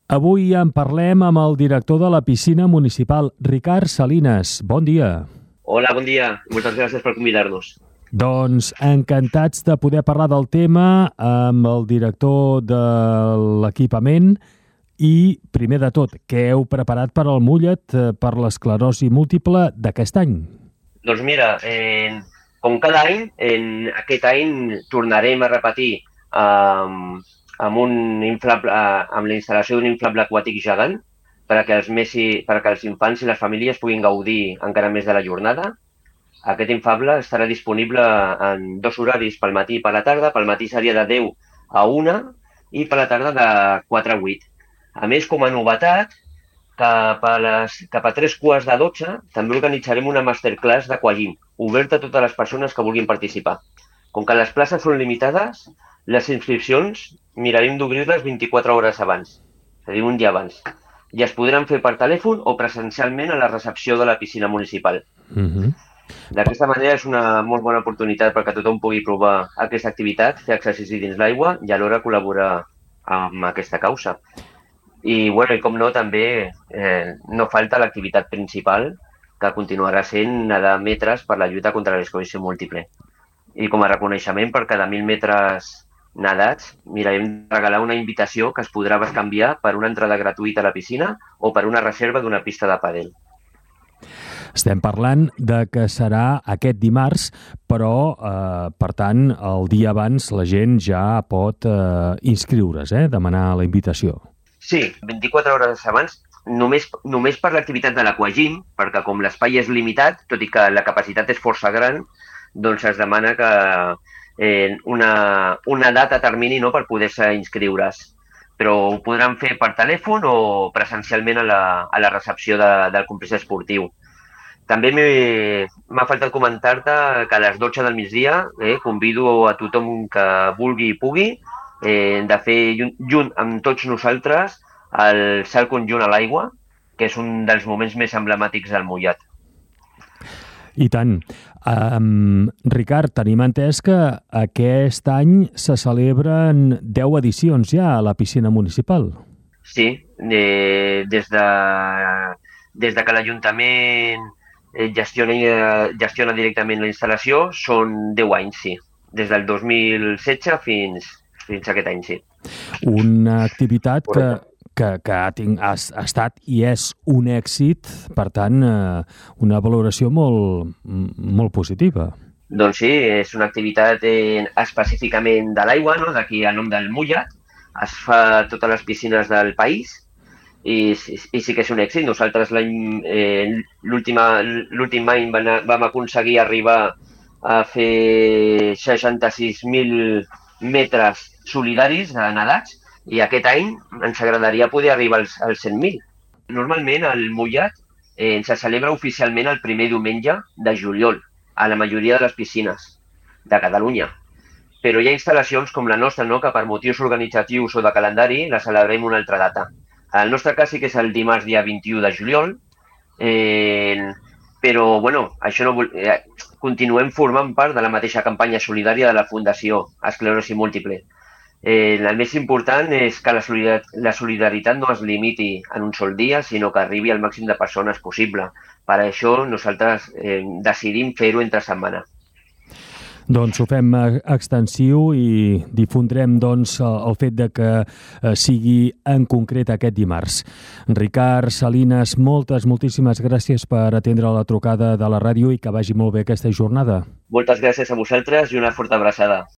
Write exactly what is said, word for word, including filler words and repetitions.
Avui en parlem amb el director de la piscina municipal, Ricard Salinas. Bon dia. Hola, bon dia. Moltes gràcies per convidar-nos. Doncs encantats de poder parlar del tema amb el director de l'equipament i, primer de tot, què heu preparat per al Mullet per l'esclerosi múltiple d'aquest any? Doncs mira, eh, com cada any, en aquest any tornarem a repetir eh, amb, un inflable, amb la instal·lació d'un inflable aquàtic gegant perquè els, més, perquè els infants i les famílies puguin gaudir encara més de la jornada. Aquest inflable estarà disponible en dos horaris, pel matí i per la tarda. Pel matí seria de deu a una i per la tarda de quatre a vuit. A més, com a novetat, cap a, les, cap a tres quarts de dotze també organitzarem una masterclass d'Aquagym, oberta a totes les persones que vulguin participar. Com que les places són limitades, les inscripcions mirarem d'obrir-les vint-i-quatre hores abans, és a dir, un dia abans. I es podran fer per telèfon o presencialment a la recepció de la piscina municipal. Uh-huh. D'aquesta manera és una molt bona oportunitat perquè tothom pugui provar aquesta activitat, fer exercici dins l'aigua i alhora col·laborar amb aquesta causa. I, bueno, i com no, també eh, no falta l'activitat principal, que continuarà sent nedar metres per la lluita contra l'esclerosi múltiple. I com a reconeixement per cada mil metres nedats, mirarem de regalar una invitació que es podrà canviar per una entrada gratuïta a la piscina o per una reserva d'una pista de pàdel. Estem parlant de que serà aquest dimarts, però, eh, per tant, el dia abans la gent ja pot eh, inscriure's, eh, demanar la invitació. Sí, vint-i-quatre hores abans, només, només per l'activitat de l'Aquagym, perquè com l'espai és limitat, tot i que la capacitat és força gran, doncs es demana que eh, una, una data termini, no, per poder-se inscriure's. Però ho podran fer per telèfon o presencialment a la, a la recepció de, del complex esportiu. També m'ha faltat comentar-te que a les dotze del migdia eh, convido a tothom que vulgui i pugui eh, de fer junt amb tots nosaltres el salt conjunt a l'aigua, que és un dels moments més emblemàtics del Mullet. I tant. Um, Ricard, tenim entès que aquest any se celebren deu edicions ja a la piscina municipal. Sí, eh, des, de, des de que l'Ajuntament gestiona, gestiona directament la instal·lació són deu anys, sí. Des del dos mil setze fins, fins a aquest any, sí. Una activitat que, que, que ha, tinc, ha, ha estat i és un èxit, per tant, eh, una valoració molt, molt positiva. Doncs sí, és una activitat eh, específicament de l'aigua, no? D'aquí el nom del Mullet. Es fa a totes les piscines del país i, i, i sí que és un èxit. Nosaltres eh, l'últim any vam aconseguir arribar a fer seixanta-sis mil metres solidaris de nedats i aquest any ens agradaria poder arribar als, als cent mil. Normalment el Mullet eh, se celebra oficialment el primer diumenge de juliol a la majoria de les piscines de Catalunya. Però hi ha instal·lacions com la nostra, no?, que per motius organitzatius o de calendari la celebrem una altra data. El nostre cas sí que és el dimarts dia vint-i-u de juliol, eh, però bueno, això no vol... eh, continuem formant part de la mateixa campanya solidària de la Fundació Esclerosi Múltiple. Eh, el més important és que la solidaritat, la solidaritat no es limiti en un sol dia, sinó que arribi al màxim de persones possible. Per això nosaltres eh, decidim fer-ho entre setmana. Doncs ho fem extensiu i difondrem doncs, el fet de que sigui en concret aquest dimarts. Ricard Salinas, moltes, moltíssimes gràcies per atendre la trucada de la ràdio i que vagi molt bé aquesta jornada. Moltes gràcies a vosaltres i una forta abraçada.